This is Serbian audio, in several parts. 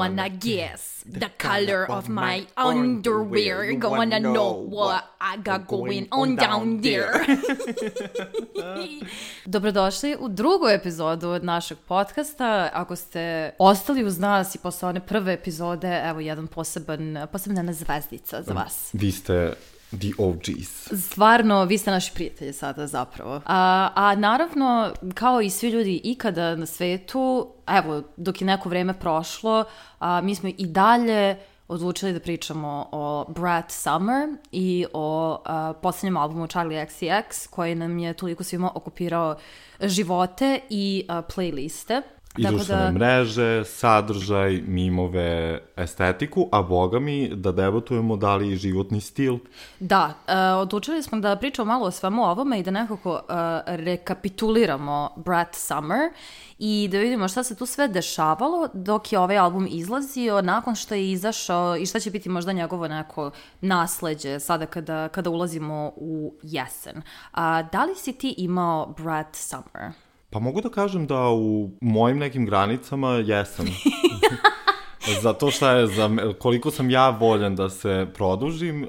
Wanna guess the color of my underwear. Gonna know what I got going on down there. Dobrodošli u drugu epizodu od našeg podcasta. Ako ste ostali uz nas i posle one prve epizode, evo jedan posebna zvezdica za vas. Vi ste the OGs. Stvarno, vi ste naši prijatelji sada zapravo. A naravno, kao i svi ljudi ikada na svetu, evo, dok je neko vreme prošlo, mi smo i dalje odlučili da pričamo o Brat Summer i o posljednjem albumu Charli XCX, koji nam je toliko svima okupirao živote i playliste. I društvene mreže, sadržaj, mimove, estetiku, a boga mi da debatujemo da li i životni stil. Da, odlučili smo da pričamo malo o svemu ovome i da nekako rekapituliramo Brat Summer i da vidimo šta se tu sve dešavalo dok je ovaj album izlazio, nakon što je izašao i šta će biti možda njegovo neko nasleđe sada kada ulazimo u jesen. Da li si ti imao Brat Summer? Pa mogu da kažem da u mojim nekim granicama jesam. Zato što je, koliko sam ja voljan da se produžim,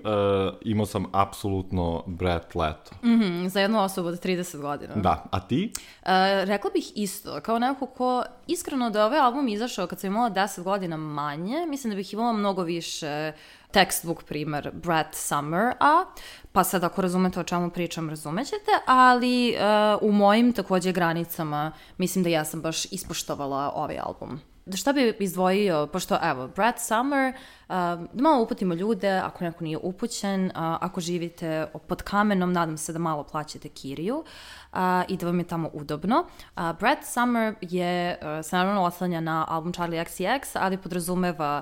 imao sam apsolutno Brat leto. Za jednu osobu od 30 godina. Da, a ti? Rekla bih isto, kao neko ko iskreno da je ovaj album izašao kad sam imala 10 godina manje, mislim da bih imala mnogo više textbook primer Brat Summer, pa sad ako razumete o čemu pričam, razumećete, ali u mojim također granicama mislim da ja sam baš ispoštovala ovaj album. Šta bi izdvojio, pošto evo, Brat Summer, da malo uputimo ljude, ako neko nije upućen, ako živite pod kamenom, nadam se da malo plaćate kiriju i da vam je tamo udobno. Brat Summer se naravno oslanja na album Charli XCX, ali podrazumeva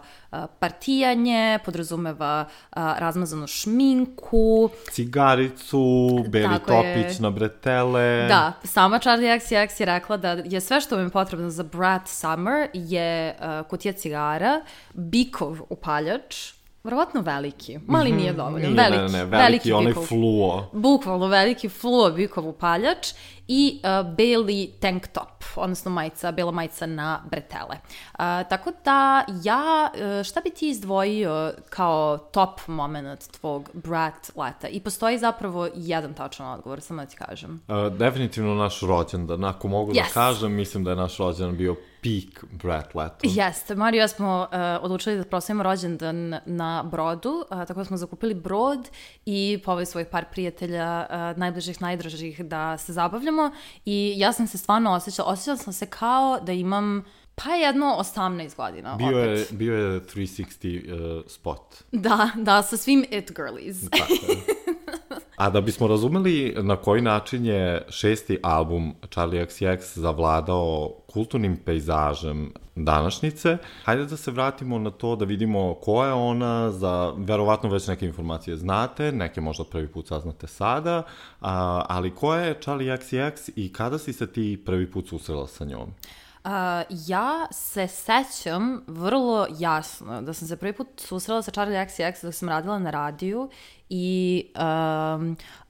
partijanje, podrazumeva razmazanu šminku, cigaricu, beli topić na bretele. Da, sama Charli XCX je rekla da je sve što vam je potrebno za Brat Summer je kutija cigara, bikov upaljač, verovatno veliki, mali nije dovoljno, veliki onaj bikov, fluo. Bukvalno veliki fluo bikov upaljač i beli tank top, odnosno bela majica na bretele. Tako da šta bi ti izdvojio kao top moment tvog Brat leta? I postoji zapravo jedan tačan odgovor, samo da ti kažem. Definitivno naš rođendan, ako mogu da kažem, mislim da je naš rođendan bio peak Brat leto. Jeste, Mario i ja smo odlučili da proslavimo rođendan na brodu, tako da smo zakupili brod i poveli svojih par prijatelja, najbližih, najdražih, da se zabavljamo i ja sam se stvarno osjećala sam se kao da imam pa jedno 18 godina. Bio je 360 spot. Da, sa svim it girlies. Tako je. A da bismo razumeli na koji način je šesti album Charli XCX zavladao kulturnim pejzažem današnjice, hajde da se vratimo na to da vidimo ko je ona, verovatno već neke informacije znate, neke možda prvi put saznate sada, ali ko je Charli XCX i kada si se ti prvi put susrela sa njom? Ja se sećam vrlo jasno da sam se prvi put susrela sa Charli XCX dok sam radila na radiju i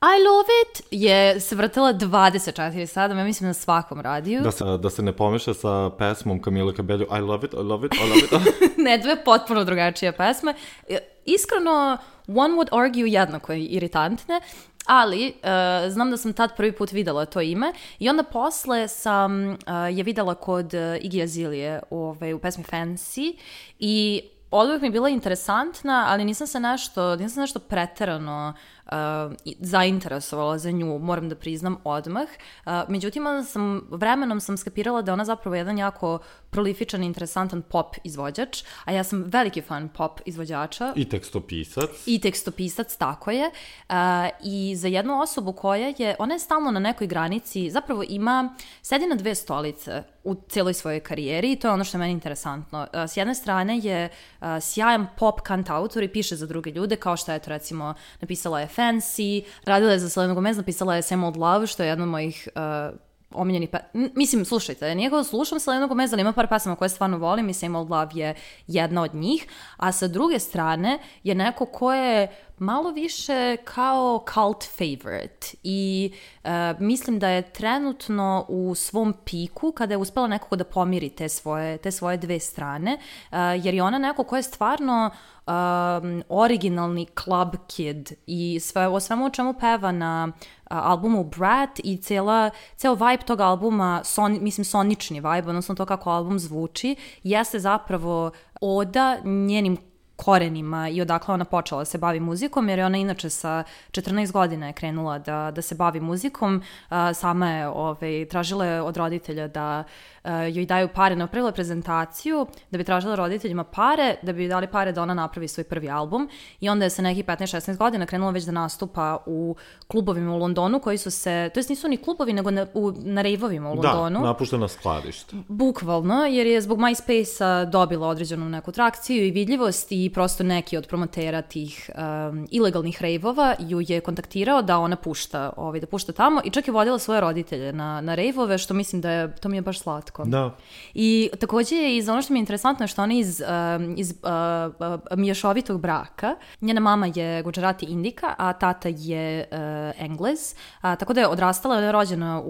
I Love It je se vrtela 24 sata, ja mislim na svakom radiju. Da se ne pomeša sa pesmom Camila Cabello, I Love It, I Love It, I Love It. Ne, dve potpuno drugačije pesme. Iskreno, one would argue jednako iritantne, ali znam da sam tad prvi put videla to ime i onda posle sam je videla kod Iggy Azalea u pesmi Fancy i oduvijek mi je bila interesantna, ali nisam se nešto preterano zainteresovala za nju, moram da priznam odmah. Međutim, vremenom sam skapirala da ona zapravo jedan jako prolifičan i interesantan pop izvođač, a ja sam veliki fan pop izvođača. I tekstopisac, tako je. I za jednu osobu ona je stalno na nekoj granici, zapravo sedi na dve stolice u cijeloj svojoj karijeri i to je ono što je meni interesantno. S jedne strane je sjajan pop kantautor i piše za druge ljude, kao što je to recimo napisala je Fancy, radila je za Selenu Gomez, napisala je Same Old Love, što je jedna od mojih omiljeni mislim, slušajte, nije kao slušam Selenu Gomez, ali ima par pesama koje stvarno volim i Same Old Love je jedna od njih, a sa druge strane je neko ko je malo više kao cult favorite i mislim da je trenutno u svom piku kada je uspela nekako da pomiri te svoje dve strane, jer je ona neko ko je stvarno originalni club kid i o svemu o čemu peva na albumu Brat i ceo vibe tog albuma, sonični vibe, odnosno to kako album zvuči, jeste zapravo oda njenim korenima i odakle ona počela da se bavi muzikom, jer je ona inače sa 14 godina je krenula da se bavi muzikom. Sama je tražila je od roditelja da joj daju pare, napravila prezentaciju da bi tražila roditeljima pare, da bi dali pare da ona napravi svoj prvi album i onda je sa nekih 15-16 godina krenula već da nastupa u klubovima u Londonu koji su se, to jest nisu ni klubovi nego na rejvovima u Londonu. Da, napuštena skladišta. Bukvalno, jer je zbog MySpace-a dobila određenu neku trakciju i vidljivost i prosto neki od promotera tih ilegalnih rejvova ju je kontaktirao da ona pušta tamo i čak je vodila svoje roditelje na rejvove, što mislim da je, to mi je baš slatko. Da. I takođe je ono što mi je interesantno je što ona iz mješovitog braka. Njena mama je Gujarati Indika, a tata je Englez, tako da je odrastala, ona je rođena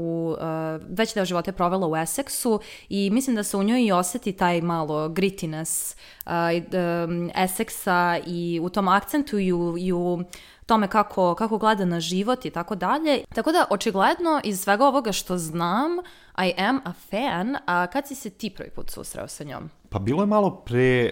veći deo života je provela u Essexu i mislim da se u njoj i oseti taj malo grittiness Essexa i u tom akcentu i u tome kako gleda na život i tako dalje. Tako da, očigledno, iz svega ovoga što znam, I am a fan, a kad si se ti prvi put susreo sa njom? Pa bilo je malo pre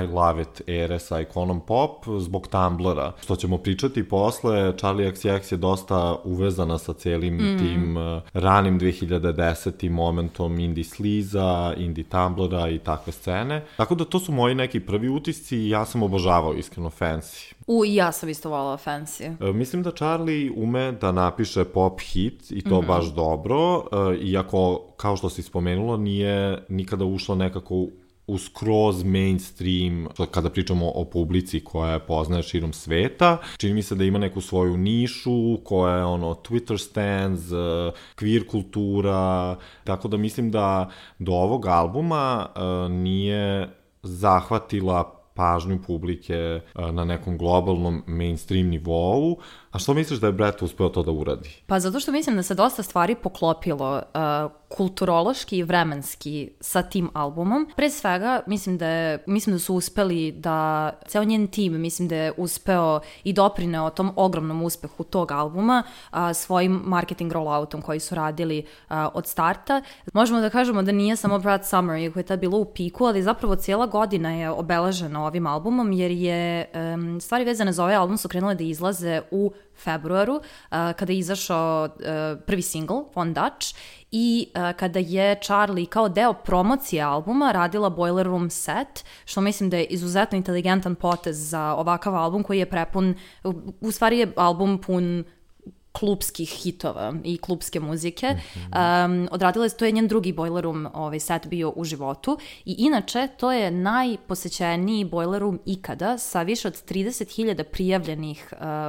I Love It ere sa ikonom pop zbog Tumblra, što ćemo pričati posle. Charli XCX je dosta uvezana sa celim tim ranim 2010. momentom indie sliza, indie Tumblra i takve scene. Tako da to su moji neki prvi utisci i ja sam obožavao iskreno Fancy. I ja sam isto volala Fancy. Mislim da Charli ume da napiše pop hit i to baš dobro, iako, kao što si spomenula, nije nikada ušla nekako u skroz mainstream, kada pričamo o publici koja je poznaje širom sveta. Čini mi se da ima neku svoju nišu, koja je Twitter stands, queer kultura, tako da mislim da do ovog albuma nije zahvatila pažnju publike na nekom globalnom mainstream nivou. A što misliš da je Brat uspeo to da uradi? Pa zato što mislim da se dosta stvari poklopilo kulturološki i vremenski sa tim albumom. Pre svega, mislim da su uspeli da, ceo njen tim, mislim da je uspeo i doprineo tom ogromnom uspehu tog albuma svojim marketing rolloutom koji su radili od starta. Možemo da kažemo da nije samo Brat Summer, iako je tad bilo u piku, ali zapravo cijela godina je obeležena ovim albumom, jer je stvari vezane za ovaj album su krenule da izlaze u februaru, kada je izašao prvi single, Von Dutch, i kada je Charli kao deo promocije albuma radila Boiler Room set, što mislim da je izuzetno inteligentan potez za ovakav album koji je prepun, u stvari je album pun klubskih hitova i klubske muzike. Odradila je, to je njen drugi Boiler Room set bio u životu i inače to je najposećeniji Boiler Room ikada sa više od 30.000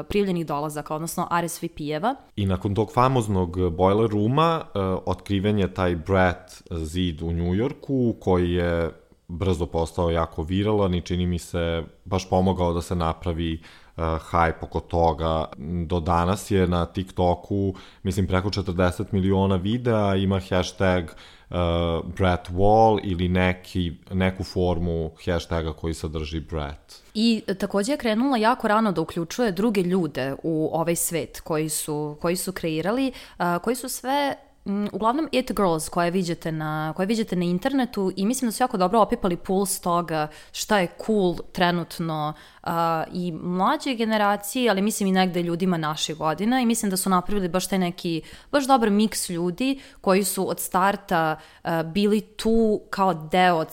prijavljenih dolazaka, odnosno RSVP-eva. I nakon tog famoznog Boiler Rooma otkriven je taj Brat zid u Njujorku koji je brzo postao jako viralan i čini mi se baš pomogao da se napravi hype oko toga. Do danas je na TikToku, mislim, preko 40 miliona videa, ima hashtag Brat Wall ili neku formu hashtaga koji sadrži Brat. I takođe je krenula jako rano da uključuje druge ljude u ovaj svet koji su kreirali, koji su sve uglavnom it girls koje viđete na internetu i mislim da su jako dobro opipali puls toga šta je cool trenutno i mlađe generacije, ali mislim i negde ljudima naših godina i mislim da su napravili baš taj neki, baš dobar miks ljudi koji su od starta bili tu kao deo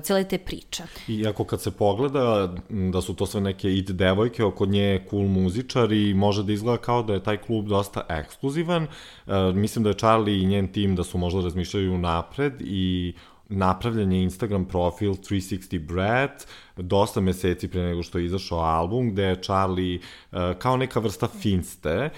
cijele te priče. Iako kad se pogleda da su to sve neke it devojke, oko nje cool muzičari, može da izgleda kao da je taj klub dosta ekskluzivan. Mislim da je Charli i njen tim da su možda razmišljaju napred i napravljen je Instagram profil 360 Brat, dosta meseci pre nego što je izašao album, gde je Charli kao neka vrsta finste,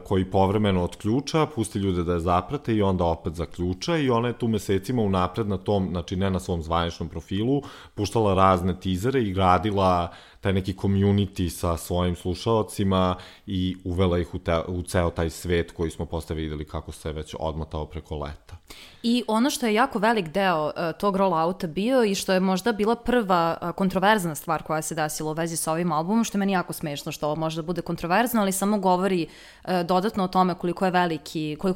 koji povremeno otključa, pusti ljude da je zaprate i onda opet zaključa i ona je tu mesecima unapred na tom, znači ne na svom zvaničnom profilu, puštala razne tizere i gradila taj neki community sa svojim slušaocima i uvela ih u ceo taj svet koji smo posle videli kako se već odmotao preko leta. I ono što je jako velik deo tog rollouta bio i što je možda bila prva kontroverzna stvar koja se desila u vezi sa ovim albumom, što je meni jako smešno što ovo može da bude kontroverzno, ali samo govori dodatno o tome koliko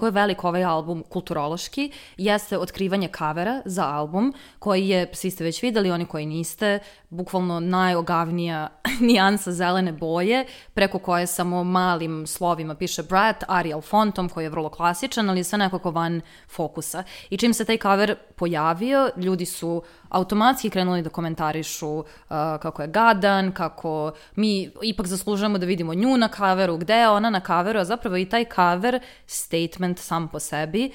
je velik ovaj album kulturološki, jeste otkrivanje kavera za album, koji je, svi ste već videli, oni koji niste, bukvalno najogavnija nijansa zelene boje, preko koje samo malim slovima piše Brat, Arial fontom, koji je vrlo klasičan, ali je sve nekako van fokusa. I čim se taj cover pojavio, ljudi su automatski krenuli da komentarišu kako je gadan, kako mi ipak zaslužujemo da vidimo nju na coveru, gde je ona na coveru, a zapravo i taj cover statement sam po sebi,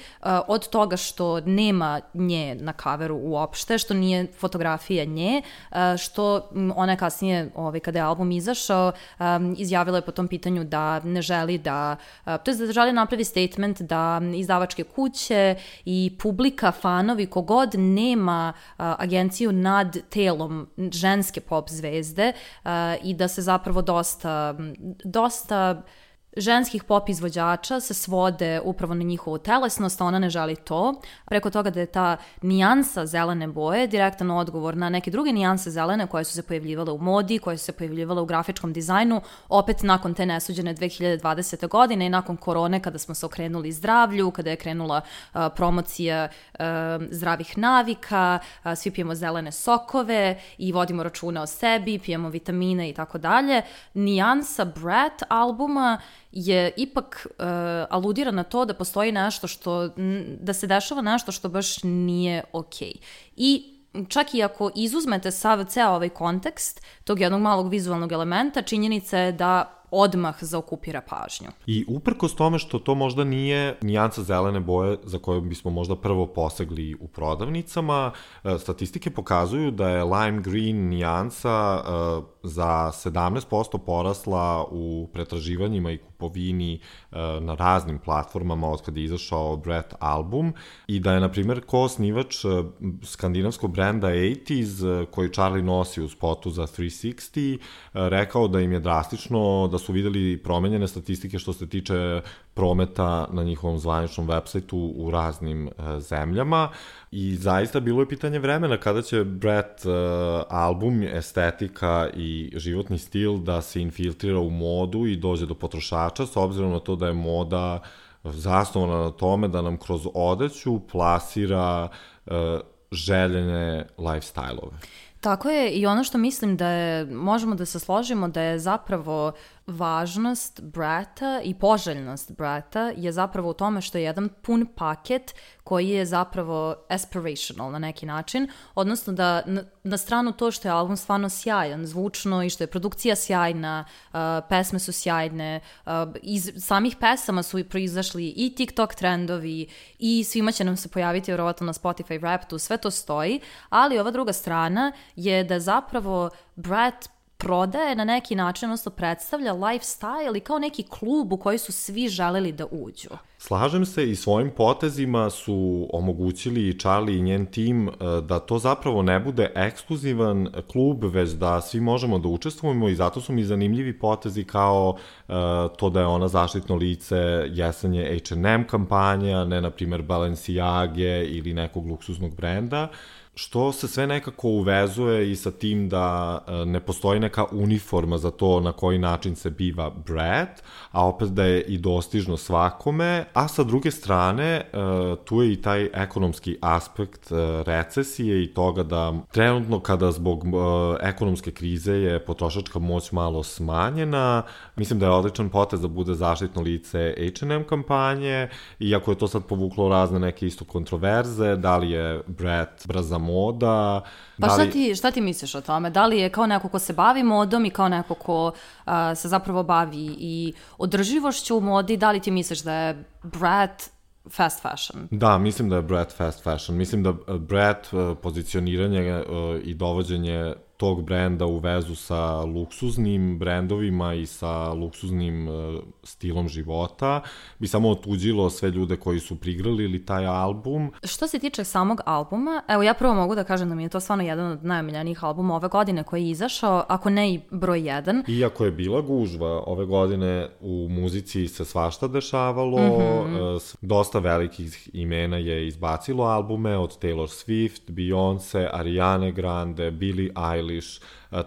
od toga što nema nje na coveru uopšte, što nije fotografija nje, što ona je kasnije, kada je album izašao, izjavila je po tom pitanju da ne želi da želi napravi statement da izdavačke kuće i publika, fanovi, kogod nema agenciju nad telom ženske pop zvezde i da se zapravo dosta ženskih pop izvođača se svode upravo na njihovu telesnost, a ona ne želi to. Preko toga da je ta nijansa zelene boje direktan odgovor na neke druge nijanse zelene koje su se pojavljivale u modi, koje su se pojavljivale u grafičkom dizajnu, opet nakon te nesuđene 2020. godine i nakon korone kada smo se okrenuli zdravlju, kada je krenula promocija zdravih navika, svi pijemo zelene sokove i vodimo računa o sebi, pijemo vitamine i tako dalje. Nijansa Brat albuma je ipak aludira na to da postoji nešto da se dešava nešto što baš nije okej. I čak i ako izuzmete ceo ovaj kontekst tog jednog malog vizualnog elementa, činjenica je da odmah zaokupira pažnju. I uprkos tome što to možda nije nijansa zelene boje za koju bismo možda prvo posegli u prodavnicama, statistike pokazuju da je lime green nijansa za 17% porasla u pretraživanjima i kupovini na raznim platformama od kada je izašao Brat album i da je, na primjer, ko-osnivač skandinavskog brenda 80s koji Charli nosi u spotu za 360 rekao da im je drastično, da su videli promenjene statistike što se tiče prometa na njihovom zvaničnom websajtu u raznim zemljama i zaista bilo je pitanje vremena kada će Brat album, estetika i životni stil da se infiltrira u modu i dođe do potrošača, s obzirom na to da je moda zasnovana na tome da nam kroz odeću plasira željene lifestyle-ove. Tako je, i ono što mislim da je, možemo da se složimo da je zapravo važnost Brata i poželjnost Brata je zapravo u tome što je jedan pun paket koji je zapravo aspirational na neki način, odnosno da na stranu to što je album stvarno sjajan, zvučno i što je produkcija sjajna, pesme su sjajne, iz samih pesama su proizašli i TikTok trendovi i svima će nam se pojaviti vjerovatno na Spotify Wrapped-u, sve to stoji, ali ova druga strana je da zapravo Brat prodaje na neki način, odnosno predstavlja lifestyle i kao neki klub u koji su svi želeli da uđu. Slažem se, i svojim potezima su omogućili i Charli i njen tim da to zapravo ne bude ekskluzivan klub, već da svi možemo da učestvujemo i zato su mi zanimljivi potezi kao to da je ona zaštitno lice jesenje H&M kampanje, a ne, na primjer, Balenciage ili nekog luksuznog brenda, što se sve nekako uvezuje i sa tim da ne postoji neka uniforma za to na koji način se biva Brat, a opet da je i dostižno svakome, a sa druge strane tu je i taj ekonomski aspekt recesije i toga da trenutno kada zbog ekonomske krize je potrošačka moć malo smanjena, mislim da je odličan potez da bude zaštitno lice H&M kampanje, iako je to sad povuklo razne neke isto kontroverze, da li je Brat brza moda. Pa šta ti misliš o tome? Da li je kao neko ko se bavi modom i kao neko ko se zapravo bavi i održivošću u modi, da li ti misliš da je Brat fast fashion. Da, mislim da je Brat fast fashion. Mislim da Brat pozicioniranje i dovođenje tog brenda u vezu sa luksuznim brendovima i sa luksuznim stilom života bi samo otuđilo sve ljude koji su prigrlili taj album. Što se tiče samog albuma, evo ja prvo mogu da kažem da mi je to stvarno jedan od najomiljenijih albuma ove godine koji je izašao, ako ne i broj 1. Iako je bila gužva, ove godine u muzici se svašta dešavalo, dosta velikih imena je izbacilo albume, od Taylor Swift, Beyoncé, Ariane Grande, Billie Eilish,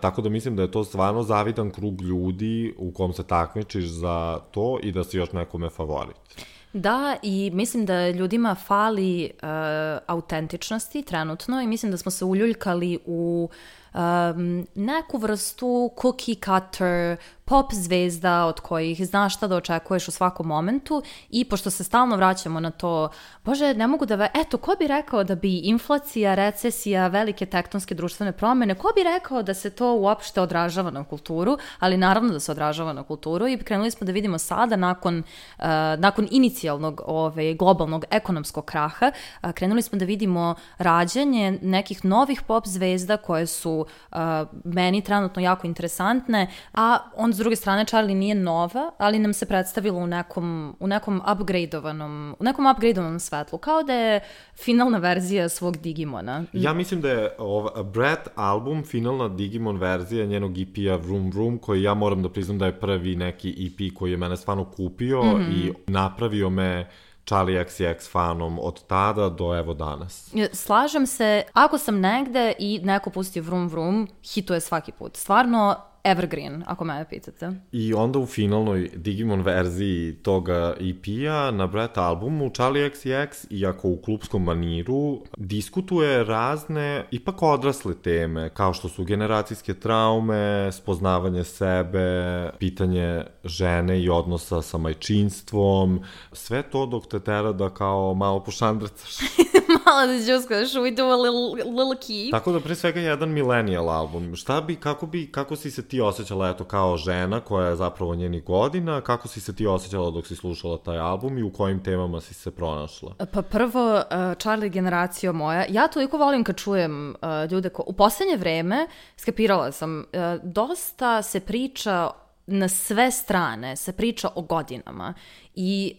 tako da mislim da je to stvarno zavidan krug ljudi u kom se takmičiš za to i da si još nekome favorit. Da, i mislim da ljudima fali autentičnosti trenutno i mislim da smo se uljuljkali u neku vrstu cookie cutter, pop zvezda od kojih znaš šta da očekuješ u svakom momentu i pošto se stalno vraćamo na to, bože, ne mogu da... Eto, ko bi rekao da bi inflacija, recesija, velike tektonske društvene promene, ko bi rekao da se to uopšte odražava na kulturu, ali naravno da se odražava na kulturu i krenuli smo da vidimo sada nakon inicijalnog globalnog ekonomskog kraha, krenuli smo da vidimo rađanje nekih novih pop zvezda koje su meni trenutno jako interesantne, a on s druge strane Charlie nije nova, ali nam se predstavilo u nekom upgradeovanom svetlu, kao da je finalna verzija svog Digimona. Ja mislim da je Brat album finalna Digimon verzija njenog EP-a Vroom Vroom, koji ja moram da priznam da je prvi neki EP koji je mene stvarno kupio i napravio me Charli XCX fanom od tada do evo danas. Slažem se, ako sam negde i neko pusti Vroom Vroom, hituje svaki put. Stvarno evergreen, ako me pitate. I onda u finalnoj Digimon verziji toga EP-a na Brat albumu Charli XCX, iako u klupskom maniru, diskutuje razne, ipak odrasle teme, kao što su generacijske traume, spoznavanje sebe, pitanje žene i odnosa sa majčinstvom, sve to dok te tera da kao malo pošandrcaš. Malo da džuskaš, we do a little key. Tako da pre svega jedan millennial album. Kako si se ti osjećala eto kao žena koja je zapravo njenih godina, kako si se ti osjećala dok si slušala taj album i u kojim temama si se pronašla? Pa prvo, Charlie generacija moja, ja toliko volim kad čujem ljude u poslednje vreme, skapirala sam, dosta se priča na sve strane, se priča o godinama i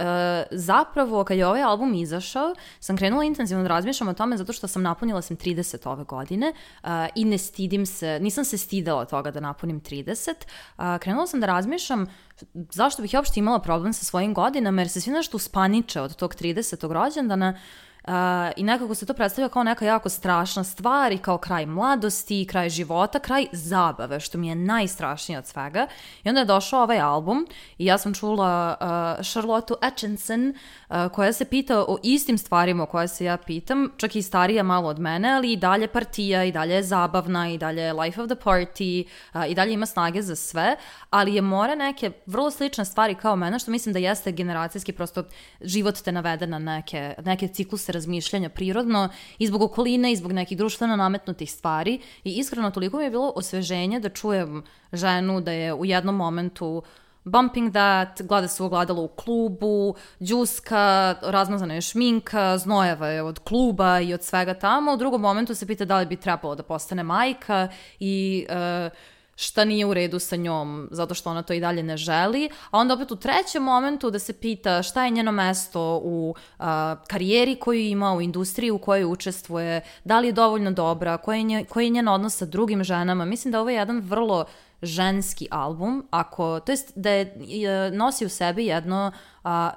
zapravo kad je ovaj album izašao sam krenula intenzivno da razmišljam o tome zato što sam napunila 30 ove godine i ne stidim se, nisam se stidela toga da napunim 30, krenula sam da razmišljam zašto bih ja uopšte imala problem sa svojim godinama jer se svi nešto uspaniče od tog 30. rođendana. I nekako se to predstavlja kao neka jako strašna stvar i kao kraj mladosti, kraj života, kraj zabave, što mi je najstrašnije od svega. I onda je došao ovaj album i ja sam čula Charlotte Atkinson koja se pita o istim stvarima o koje se ja pitam, čak i starija malo od mene, ali i dalje partija, i dalje je zabavna, i dalje je life of the party, i dalje ima snage za sve, ali je mora neke vrlo slične stvari kao mene, što mislim da jeste generacijski, prosto život te navede na neke cikluse razmišljanja prirodno i zbog okoline i zbog nekih društveno nametnutih stvari i iskreno toliko mi je bilo osveženje da čujem ženu da je u jednom momentu bumping that, gleda se ogledalo u klubu, džuska, razmazana je šminka, znojeva je od kluba i od svega tamo. U drugom momentu se pita da li bi trebalo da postane majka i šta nije u redu sa njom, zato što ona to i dalje ne želi, a onda opet u trećem momentu da se pita šta je njeno mesto u karijeri koju ima, u industriji u kojoj učestvuje, da li je dovoljno dobra, koji je njen odnos sa drugim ženama. Mislim da ovo je jedan vrlo ženski album, to jest da je nosi u sebi jedno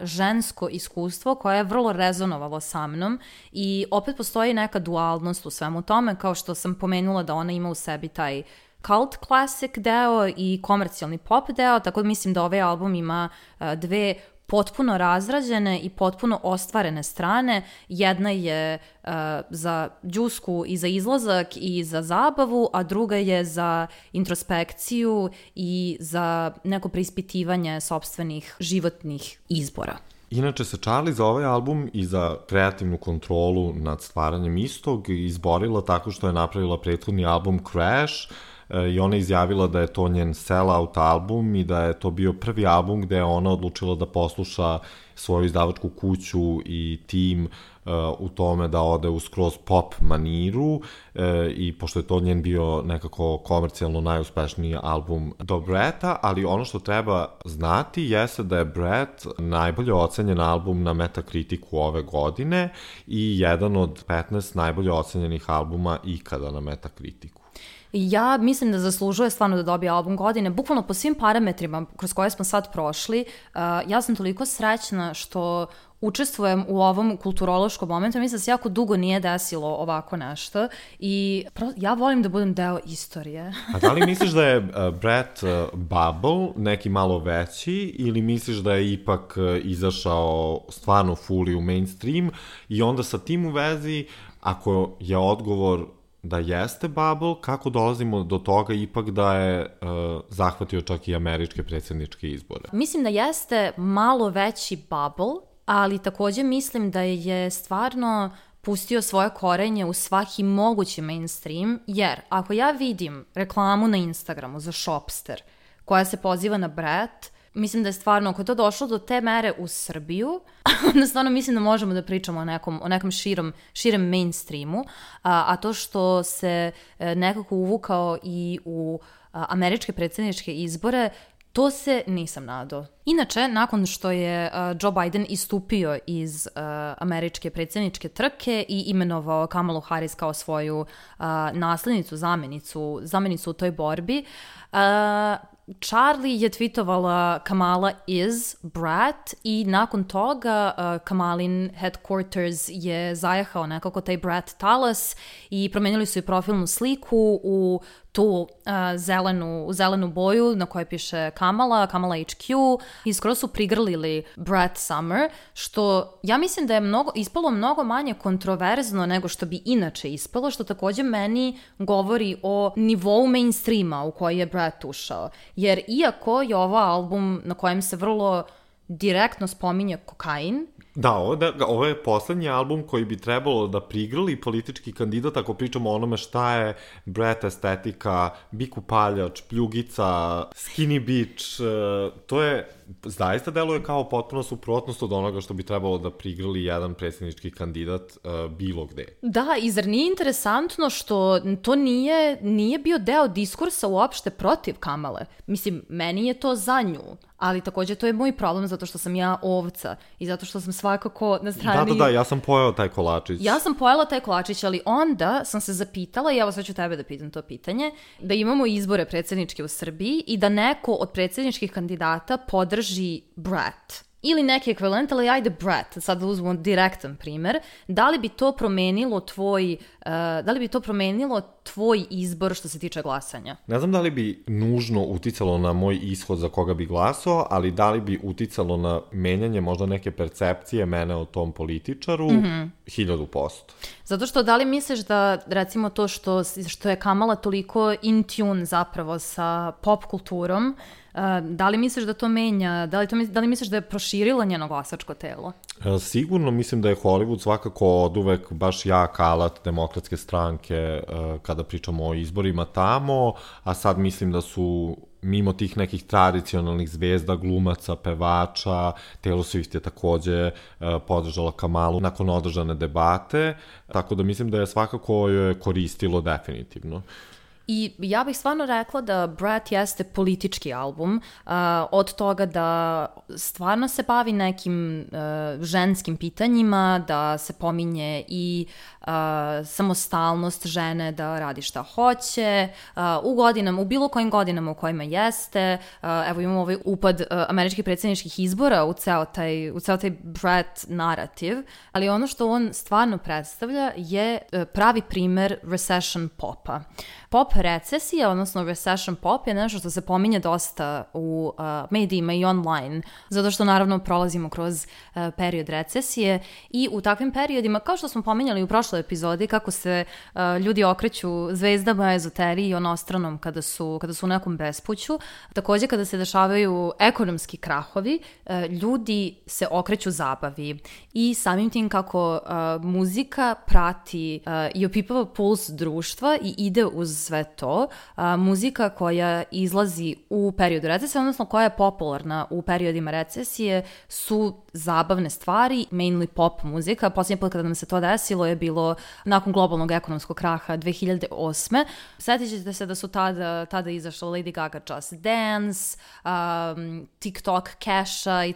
žensko iskustvo koje je vrlo rezonovalo sa mnom i opet postoji neka dualnost u svemu tome, kao što sam pomenula da ona ima u sebi taj cult classic deo i komercijalni pop deo, tako da mislim da ovaj album ima dve potpuno razrađene i potpuno ostvarene strane. Jedna je za džusku i za izlazak i za zabavu, a druga je za introspekciju i za neko preispitivanje sopstvenih životnih izbora. Inače se Charli za ovaj album i za kreativnu kontrolu nad stvaranjem istog izborila tako što je napravila prethodni album Crash, i ona izjavila da je to njen sell-out album i da je to bio prvi album gde je ona odlučila da posluša svoju izdavačku kuću i tim u tome da ode u skroz pop maniru i pošto je to njen bio nekako komercijalno najuspešniji album do Bretta, ali ono što treba znati jeste da je Brett najbolje ocenjen album na Metacriticu ove godine i jedan od 15 najbolje ocenjenih albuma ikada na Metacriticu. Ja mislim da zaslužuje stvarno da dobije album godine, bukvalno po svim parametrima kroz koje smo sad prošli. Ja sam toliko srećna što učestvujem u ovom kulturološkom momentu. Mislim da se jako dugo nije desilo ovako nešto i ja volim da budem deo istorije. A da li misliš da je Brett bubble neki malo veći ili misliš da je ipak izašao stvarno fully u mainstream i onda sa tim u vezi, ako je odgovor da jeste bubble, kako dolazimo do toga ipak da je zahvatio čak i američke predsjedničke izbore? Mislim da jeste malo veći bubble, ali takođe mislim da je stvarno pustio svoje korenje u svaki mogući mainstream, jer ako ja vidim reklamu na Instagramu za Shopster koja se poziva na Brett, mislim da je stvarno, ako je to došlo do te mere u Srbiju, onda stvarno mislim da možemo da pričamo o nekom širem mainstreamu, a to što se nekako uvukao i u američke predsjedničke izbore, to se nisam nadao. Inače, nakon što je Joe Biden istupio iz američke predsjedničke trke i imenovao Kamalu Harris kao svoju naslednicu, zamenicu u toj borbi, Charlie je tweetovala Kamala is Brett i nakon toga Kamalin headquarters je zajahao nekako taj Brett talas i promenili su i profilnu sliku u tu zelenu boju na kojoj piše Kamala HQ i skoro su prigrlili Brett Summer, što ja mislim da je ispalo mnogo manje kontroverzno nego što bi inače ispalo, što takođe meni govori o nivou mainstreama u koji je Brett ušao. Jer iako je ovo album na kojem se vrlo direktno spominje kokain, Da, ovo je poslednji album koji bi trebalo da prigrli politički kandidat ako pričamo o onome šta je Brett estetika, bik upaljač, pljugica, skinny bitch, to je zaista deluje kao potpuno suprotnost od onoga što bi trebalo da prigrli jedan predsjednički kandidat bilo gde. Da, i zar nije interesantno što to nije bio deo diskursa uopšte protiv Kamale? Mislim, meni je to za nju, ali takođe to je moj problem zato što sam ja ovca i zato što sam svakako na strani... Da, ja sam pojela taj kolačić. Ja sam pojela taj kolačić, ali onda sam se zapitala, i evo sad ću tebe da pitam to pitanje, da imamo izbore predsjedničke u Srbiji i da neko od predsjedničkih kandidata podrži Brett. Ili neki ekvivalent, ali ajde Brett, sad da uzmemo direktan primer, da li bi to promenilo tvoj izbor što se tiče glasanja? Ne znam da li bi nužno uticalo na moj ishod za koga bi glasao, ali da li bi uticalo na menjanje možda neke percepcije mene o tom političaru, 1000%. Zato što da li misliš da recimo to što je Kamala toliko in tune zapravo sa pop kulturom, da li misliš da to menja, da li misliš da je proširila njeno glasačko telo? Sigurno mislim da je Hollywood svakako oduvek baš jak alat demokratske stranke kada pričamo o izborima tamo, a sad mislim da su mimo tih nekih tradicionalnih zvezda, glumaca, pevača, Taylor Swift je takođe podržala Kamalu nakon održane debate, tako da mislim da je svakako joj koristilo definitivno. I ja bih stvarno rekla da Brett jeste politički album, od toga da stvarno se bavi nekim ženskim pitanjima, da se pominje i samostalnost žene da radi šta hoće, u bilo kojim godinama u kojima jeste. Evo imamo ovaj upad američkih predsjedničkih izbora u ceo taj Brett narativ, ali ono što on stvarno predstavlja je pravi primer recession popa. Pop recesija, odnosno recession pop, je nešto što se pominje dosta u medijima i online, zato što naravno prolazimo kroz period recesije i u takvim periodima, kao što smo pominjali u prošloj epizodi, kako se ljudi okreću zvezdama, ezoteriji i onostranom kada su u nekom bespuću, takođe kada se dešavaju ekonomski krahovi, ljudi se okreću zabavi i samim tim kako muzika prati i opipava puls društva i ide uz sve to, muzika koja izlazi u periodu recesije, odnosno koja je popularna u periodima recesije, su zabavne stvari, mainly pop muzika. Posljednji put kada nam se to desilo je bilo nakon globalnog ekonomskog kraha 2008. Sjetit ćete se da su tada izašla Lady Gaga Just Dance, TikTok Casha i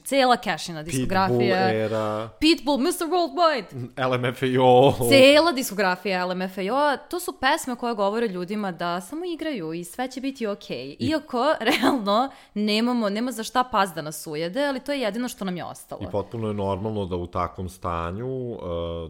cijela Cashina diskografija. Pitbull era. Pitbull, Mr. Worldwide. LMFAO. Cijela diskografija LMFAO. To su pesme koje govore ljudima da samo igraju i sve će biti okej. Iako, realno, nema za šta pas da nas ujede, ali to je jedino što nam je ostalo. I potpuno je normalno da u takvom stanju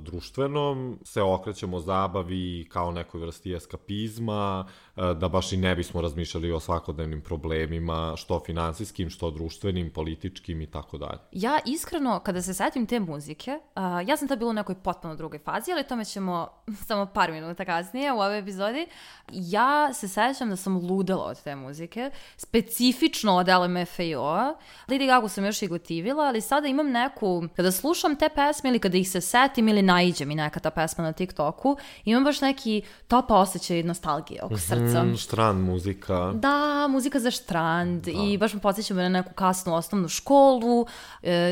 društvenom se okrećemo zabavi kao nekoj vrsti eskapizma, da baš i ne bismo razmišljali o svakodnevnim problemima, što finansijskim, što društvenim, političkim i tako dalje. Ja iskreno, kada se setim te muzike, ja sam tad bila u nekoj potpuno drugoj fazi, ali tome ćemo samo par minuta kasnije u ovoj epizodi. Ja se sećam da sam ludela od te muzike, specifično od LMFAO. Lady Gagu sam još i gotivila, ali sada imam neku, kada slušam te pesme ili kada ih se setim ili naiđe mi neka ta pesma na TikToku, imam baš neki top osjećaj nostalgije oko srca. Štrand muzika. Da, muzika za štrand i baš me podsjećam na neku kasnu osnovnu školu.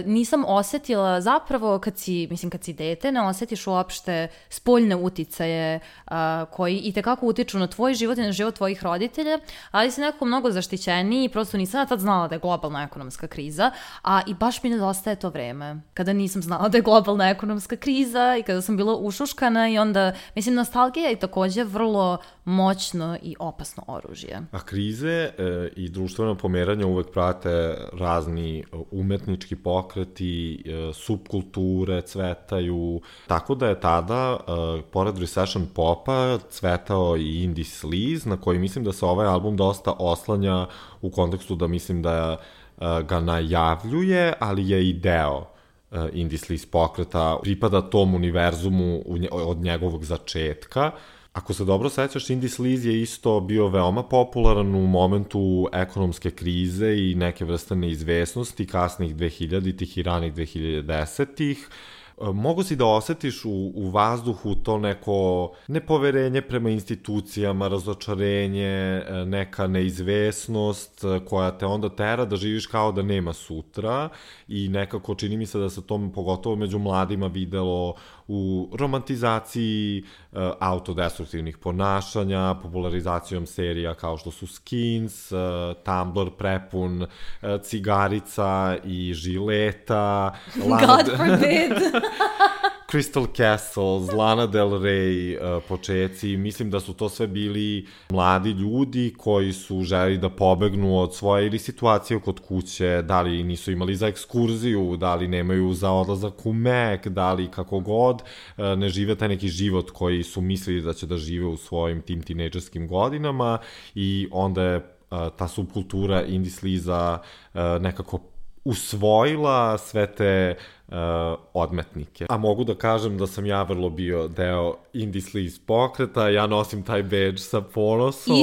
Nisam osetila zapravo kad si dete, ne osjetiš uopšte spoljne uticaje koji itekako utiču na tvoj život i na život tvojih roditelja, ali si nekako mnogo zaštićeniji i prosto nisam tad znala da je globalna ekonomska kriza, i baš mi nedostaje to vreme kada nisam znala da je globalna ekonomska kriza i kada sam bila ušuškana i onda, nostalgija je također vrlo moćno i opasno oružje. A krize i društveno pomeranje uvek prate razni umetnički pokreti, subkulture cvetaju, tako da je tada, pored recession popa, cvetao i indie sleaze, na koji mislim da se ovaj album dosta oslanja u kontekstu da mislim da ga najavljuje, ali je i deo indie sleaze pokreta, pripada tom univerzumu od njegovog začetka. Ako se dobro sećaš, indie sleaze je isto bio veoma popularan u momentu ekonomske krize i neke vrste neizvesnosti kasnih 2000-ih i ranih 2010-ih. Mogu si da osetiš u vazduhu to neko nepoverenje prema institucijama, razočarenje, neka neizvesnost koja te onda tera da živiš kao da nema sutra i nekako čini mi se da se to pogotovo među mladima videlo u romantizaciji autodestruktivnih ponašanja, popularizacijom serija kao što su Skins, Tumblr prepun cigarica i žileta. God forbid! Crystal Castles, Lana Del Rey, počeci, mislim da su to sve bili mladi ljudi koji su želi da pobegnu od svoje ili situacije kod kuće, da li nisu imali za ekskurziju, da li nemaju za odlazak u Mek, da li kako god, ne žive taj neki život koji su mislili da će da žive u svojim tim tinejdžerskim godinama i onda je ta subkultura indie sleaza nekako usvojila sve te odmetnike. A mogu da kažem da sam ja vrlo bio deo indie sleaze pokreta, ja nosim taj badge sa ponosom.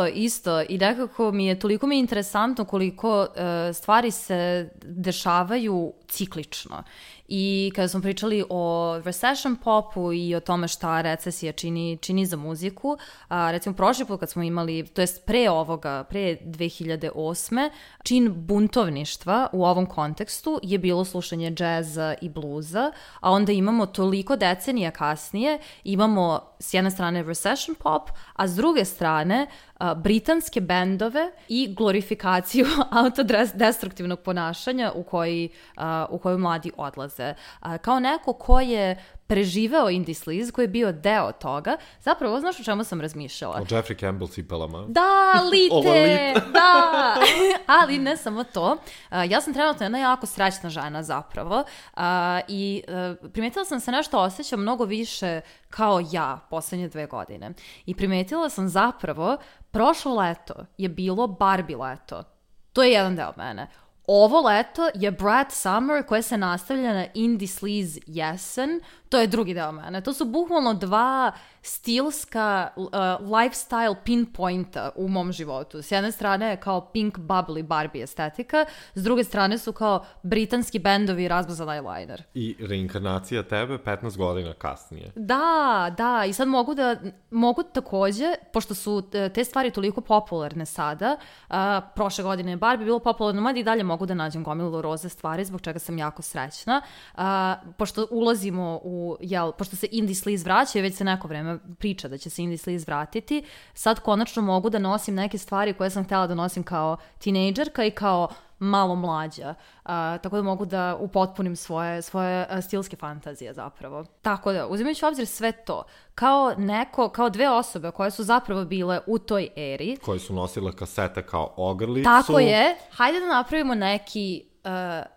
Isto. I nekako toliko mi je interesantno koliko stvari se dešavaju ciklično. I kada smo pričali o recession popu i o tome šta recesija čini za muziku, recimo prošli put kad smo imali, to jest pre 2008. čin buntovništva u ovom kontekstu je bilo slušanje džeza i bluza, a onda imamo toliko decenija kasnije, imamo s jedne strane recession pop, a s druge strane britanske bendove i glorifikaciju autodestruktivnog ponašanja u koju mladi odlaze. Kao neko ko je preživeo indie sleaze, koji je bio deo toga, zapravo, znaš o čemu sam razmišljala? O Jeffrey Campbell cipelama. Da, lite! Da! Ali ne samo to. Ja sam trenutno jedna jako srećna žena zapravo i primetila sam se nešto osjećam mnogo više kao ja poslednje 2 godine. I primetila sam zapravo, prošlo leto je bilo Barbie leto. To je jedan deo mene. Ovo leto je Brat Summer koje se nastavlja na indie sleaze jesen. to je drugi deo mene. To su bukvalno dva stilska lifestyle pinpointa u mom životu. S jedne strane je kao pink bubbly Barbie estetika, s druge strane su kao britanski bendovi i razmazan eyeliner. I reinkarnacija tebe 15 godina kasnije. Da, i sad mogu takođe, pošto su te stvari toliko popularne sada, prošle godine je Barbie bilo popularno, mada i dalje mogu da nađem gomilu roze stvari, zbog čega sam jako srećna. Pošto ulazimo pošto se indie sleaze vraća i već se neko vreme priča da će se indie sleaze vratiti, sad konačno mogu da nosim neke stvari koje sam htjela da nosim kao tinejdžerka i kao malo mlađa. Tako da mogu da upotpunim svoje stilske fantazije zapravo. Tako da, uzimajući u obzir sve to, kao dve osobe koje su zapravo bile u toj eri. Koje su nosile kasete kao ogrlicu. Tako je. Hajde da napravimo neki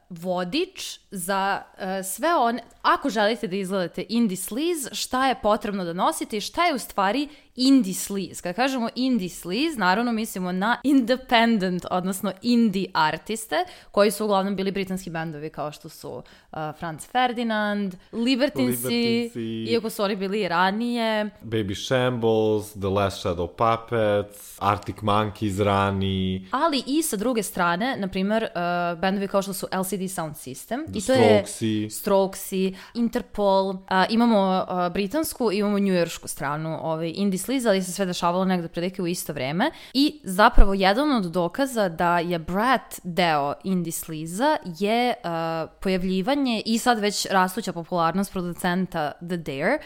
vodič za sve one, ako želite da izgledate indie sleaze, šta je potrebno da nosite i šta je u stvari indie sleaze. Kada kažemo indie sleaze, naravno mislimo na independent, odnosno indie artiste, koji su uglavnom bili britanski bendovi kao što su Franz Ferdinand, Libertinsi, iako su oni bili ranije. Baby Shambles, The Last Shadow Puppets, Arctic Monkeys rani. Ali i sa druge strane, na primjer, bendovi kao što su LCD Sound System. I to je Strokesi, Interpol. Imamo britansku, imamo njujoršku stranu indie sleaze, ali se sve dešavalo negde prilike u isto vreme. I zapravo jedan od dokaza da je Brat deo indie sleaze je pojavljivanje i sad već rastuća popularnost producenta The Dare,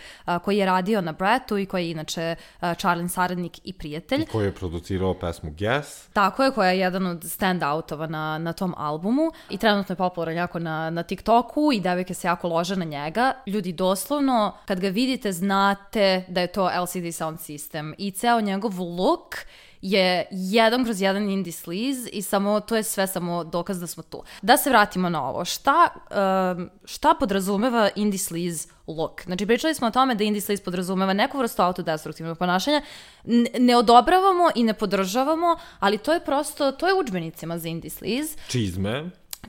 koji je radio na Bratu i koji je inače Charlin saradnik i prijatelj. I koji je producirao pesmu Guess. Tako je, koja je jedan od stand-outova na tom albumu i trenutno je popularan jako na TikToku i devojke se jako lože na njega. Ljudi, doslovno, kad ga vidite, znate da je to LCD Sound System i ceo njegov look je 1/1 indie sleaze i to je sve samo dokaz da smo tu. Da se vratimo na ovo. Šta podrazumeva indie sleaze look? Znači, pričali smo o tome da indie sleaze podrazumeva neku vrstu autodestruktivnog ponašanja. Ne odobravamo i ne podržavamo, ali to je u udžbenicima za indie sleaze.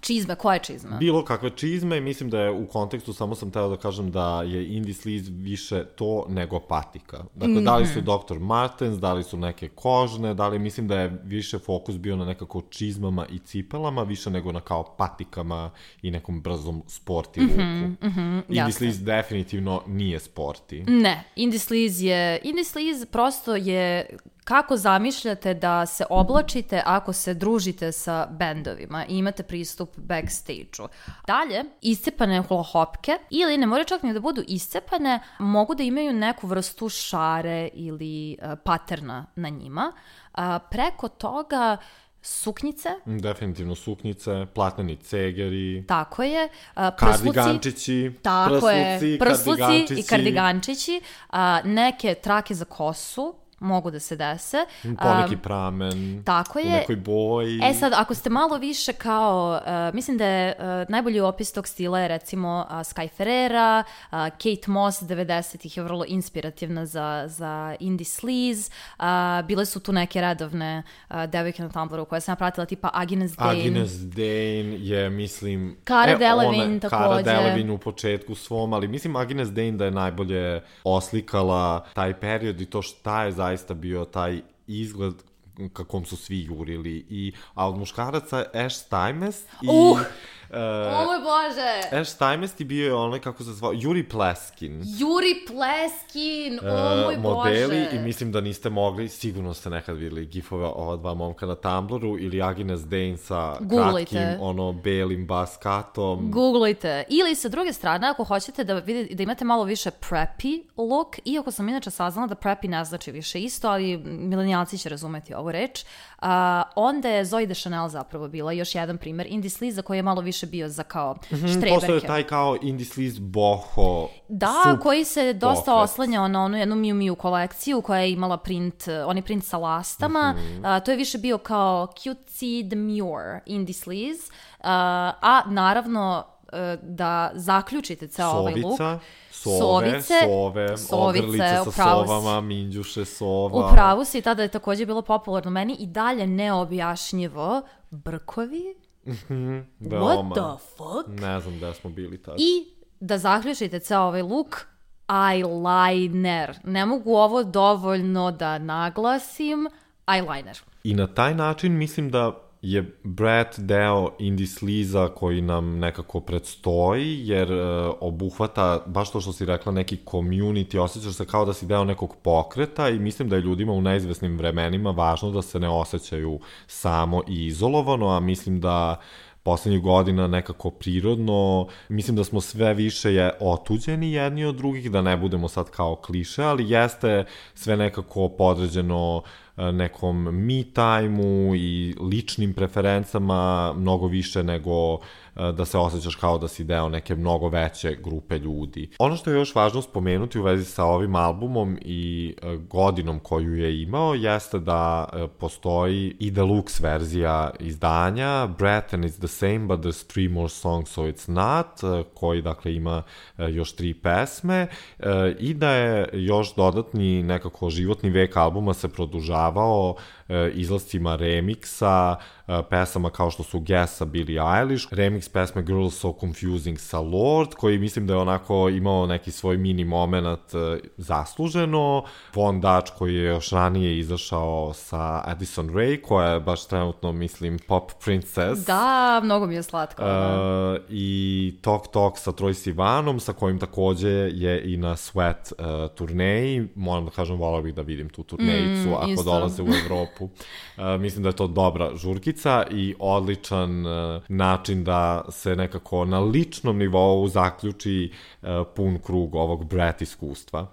Čizme, koje čizme? Bilo kakve čizme i mislim da je u kontekstu, samo sam teo da kažem da je indie sleaze više to nego patika. Dakle, da li su Dr. Martens, da li su neke kožne, mislim da je više fokus bio na nekako čizmama i cipelama, više nego na kao patikama i nekom brzom sporti luku. Indie sleaze definitivno nije sporti. Ne, indie sleaze prosto je kako zamišljate da se oblačite ako se družite sa bendovima i imate pristup backstage-u. Dalje, iscepane hula-hopke, ili ne moraju čak ni da budu iscepane, mogu da imaju neku vrstu šare ili paterna na njima. Preko toga suknjice. Definitivno suknjice, platneni cegeri. Tako je. Kardigančići. Tako je. Prsluci i kardigančići. Neke trake za kosu mogu da se dese. Poneki pramen. Tako je. U nekoj boji. Sad, ako ste malo više kao, mislim da je najbolji opis tog stila je recimo Sky Ferreira, Kate Moss 90-ih je vrlo inspirativna za indie sleaze. Bile su tu neke redovne devojke na Tumblru koje sam ja pratila, tipa Agnes Dane. Agnes Dane je, mislim... Cara Delevingne takođe. Cara Delevingne u početku svom, ali mislim Agnes Dane da je najbolje oslikala taj period i to šta je zaista bio taj izgled kakom su svi jurili. A od muškaraca Ash Stymest i... O moj Bože! Ash Stymest i bio je onaj, kako se zvao, Yuri Pleskin. O moj modeli, Bože! I mislim da niste mogli, sigurno ste nekad vidjeli gifove ova dva momka na Tumblru ili Agnes Dane sa kratkim, belim baskatom. Googlujte. Ili sa druge strane, ako hoćete da imate malo više preppy look, iako sam inače saznala da preppy ne znači više isto, ali milenijalci će razumeti ovu reč, onda je Zooey Deschanel zapravo bila još jedan primer indie sleaze koji je malo više bio za kao štreberke. Postoje taj kao indie sleaze boho. Da, koji se dosta oslanjao na onu jednu Miu Miu kolekciju koja je imala print sa lastama. To je više bio kao cutesy demure indie sleaze. A naravno da zaključite ceo ovaj look. Sovice, ogrlice sa sovama, minđuše sova. U pravu si, tada je također bilo popularno meni i dalje neobjašnjivo brkovi. What the fuck? Ne znam da smo bili tada. I da zaključite ceo ovaj look, eyeliner. Ne mogu ovo dovoljno da naglasim, eyeliner. I na taj način mislim da je Brat deo indie sliza koji nam nekako predstoji, jer obuhvata, baš to što si rekla, neki community, osjećaš se kao da si deo nekog pokreta i mislim da je ljudima u neizvesnim vremenima važno da se ne osjećaju samo i izolovano, a mislim da poslednjih godina nekako prirodno, mislim da smo sve više otuđeni jedni od drugih, da ne budemo sad kao kliše, ali jeste sve nekako podređeno nekom me time-u i ličnim preferencama mnogo više nego da se osjećaš kao da si deo neke mnogo veće grupe ljudi. Ono što je još važno spomenuti u vezi sa ovim albumom i godinom koju je imao jeste da postoji i deluxe verzija izdanja Brat and It's the Same but there's 3 more songs so it's not, koji dakle ima još 3 pesme i da je još dodatni nekako životni vek albuma se produžavao izlascima remiksa, pesama kao što su Guess sa Billie Eilish, remix pesme Girls So Confusing sa Lorde, koji mislim da je onako imao neki svoj mini moment zasluženo, Von Dutch koji je još ranije izašao sa Addison Rae, koja je baš trenutno, mislim, pop princess. Da, mnogo mi je slatko. I Tok Tok sa Troye Sivanom, sa kojim takođe je i na Sweat turneji. Moram da kažem, volao bih da vidim tu turnejicu ako isto dolaze u Evropu. Mislim da je to dobra žurkica i odličan način da se nekako na ličnom nivou zaključi pun krug ovog Brat iskustva.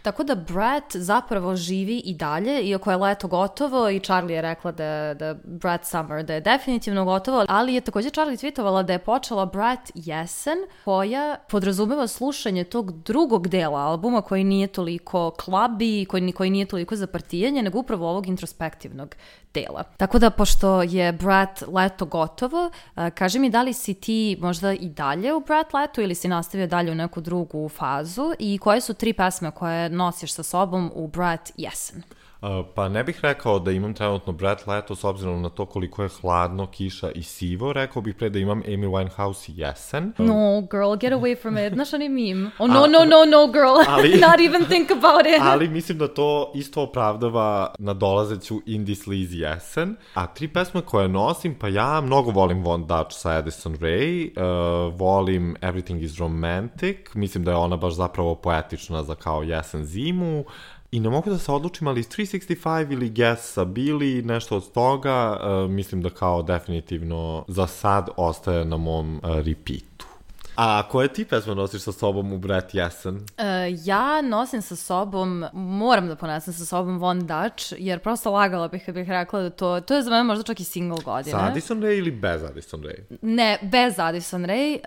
Tako da Brat zapravo živi i dalje, iako je leto gotovo i Charlie je rekla da Brat Summer, da je definitivno gotovo, ali je takođe Charlie tweetovala da je počela Brat jesen, koja podrazumeva slušanje tog drugog dela albuma koji nije toliko clubby, koji nije toliko za partijanje, nego upravo ovog introspektivnog dela. Tako da, pošto je Brat leto gotovo, kaži mi da li si ti možda i dalje u Brat letu ili si nastavio dalje u neku drugu fazu i koje su 3 pesme koje nosiš sa sobom u Brat jesen? Pa ne bih rekao da imam trenutno Brat leto s obzirom na to koliko je hladno, kiša i sivo. Rekao bih pre da imam Amy Winehouse jesen. No, girl, get away from it. Znaš onaj meme? Oh, no, girl. Not even think about it. Ali mislim da to isto opravdava nadolazeću indie sleaze jesen. A 3 pesme koje nosim, pa ja mnogo volim Von Dutch sa Addison Rae, volim Everything is Romantic, mislim da je ona baš zapravo poetična za kao jesen zimu. I ne mogu da se odlučim, ali 365 ili Guess sa Billie, nešto od toga, mislim da kao definitivno za sad ostaje na mom repeatu. A koje ti pesme nosiš sa sobom u Brat jesen? Ja nosim sa sobom, moram da ponesem sa sobom Von Dutch, jer prosto lagala bih kad bih rekla da to je za mene možda čak i single godine. Sa Addison Rae ili bez Addison Rae? Ne, bez Addison Rae.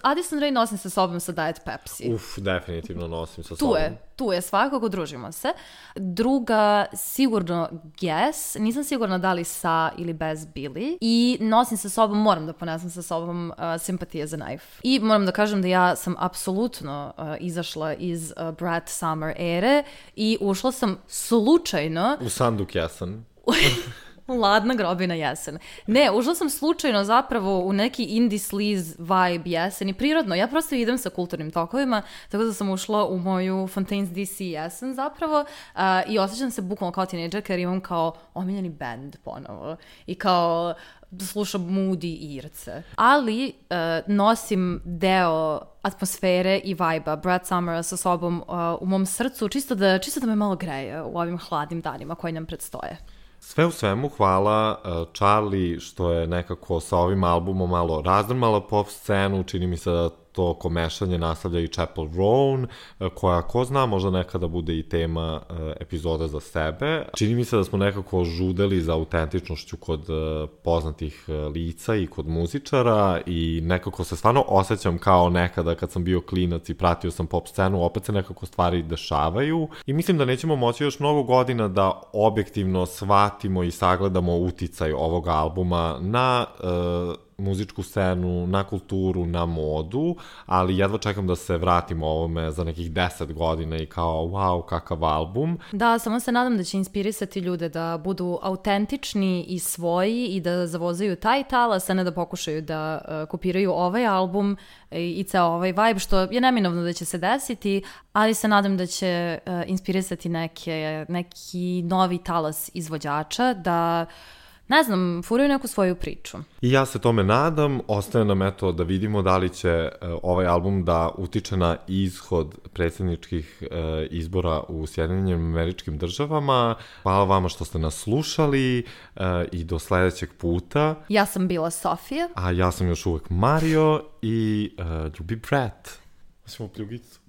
Addison Rae nosim sa sobom sa Diet Pepsi. Definitivno nosim sa sobom. Tu je svakako, družimo se. Druga, sigurno Guess, nisam sigurna da li sa ili bez Billie. I nosim sa sobom, moram da ponesem sa sobom Sympathy as a Knife. I moram da kažem da ja sam apsolutno izašla iz Brat Summer ere i ušla sam slučajno u Sanduk jesen. Ladna grobina jesen. Ne, ušla sam slučajno zapravo u neki indie sleaze vibe jesen i prirodno. Ja prosto idem sa kulturnim tokovima, tako da sam ušla u moju Fontaine's DC jesen zapravo i osjećam se bukvalno kao tinejdžerka jer imam kao omiljeni band ponovo i kao slušam Moody i Irce. Ali nosim deo atmosfere i vibe-a Brat Summera sa sobom u mom srcu, čisto da me malo greje u ovim hladnim danima koji nam predstoje. Sve u svemu hvala Charlie što je nekako sa ovim albumom malo razdrmala pop scenu, čini mi se da to komešanje nastavlja i Chapel Roan, koja, ko zna, možda nekada bude i tema epizoda za sebe. Čini mi se da smo nekako žudeli za autentičnošću kod poznatih lica i kod muzičara i nekako se stvarno osjećam kao nekada kad sam bio klinac i pratio sam pop scenu, opet se nekako stvari dešavaju i mislim da nećemo moći još mnogo godina da objektivno shvatimo i sagledamo uticaj ovog albuma na muzičku scenu, na kulturu, na modu, ali jedva čekam da se vratim ovome za nekih 10 godina i kao, wow, kakav album. Da, samo se nadam da će inspirisati ljude da budu autentični i svoji i da zavozaju taj talas, a ne da pokušaju da kopiraju ovaj album i ceo ovaj vibe, što je neminovno da će se desiti, ali se nadam da će inspirisati neki novi talas izvođača da, ne znam, furaju neku svoju priču. I ja se tome nadam, ostaje nam eto da vidimo da li će ovaj album da utiče na ishod predsjedničkih izbora u Sjedinjenim Američkim Državama. Hvala vama što ste nas slušali i do sledećeg puta. Ja sam bila Sofija. A ja sam još uvek Mario i ljubi Brett. Ćemo pljugicu.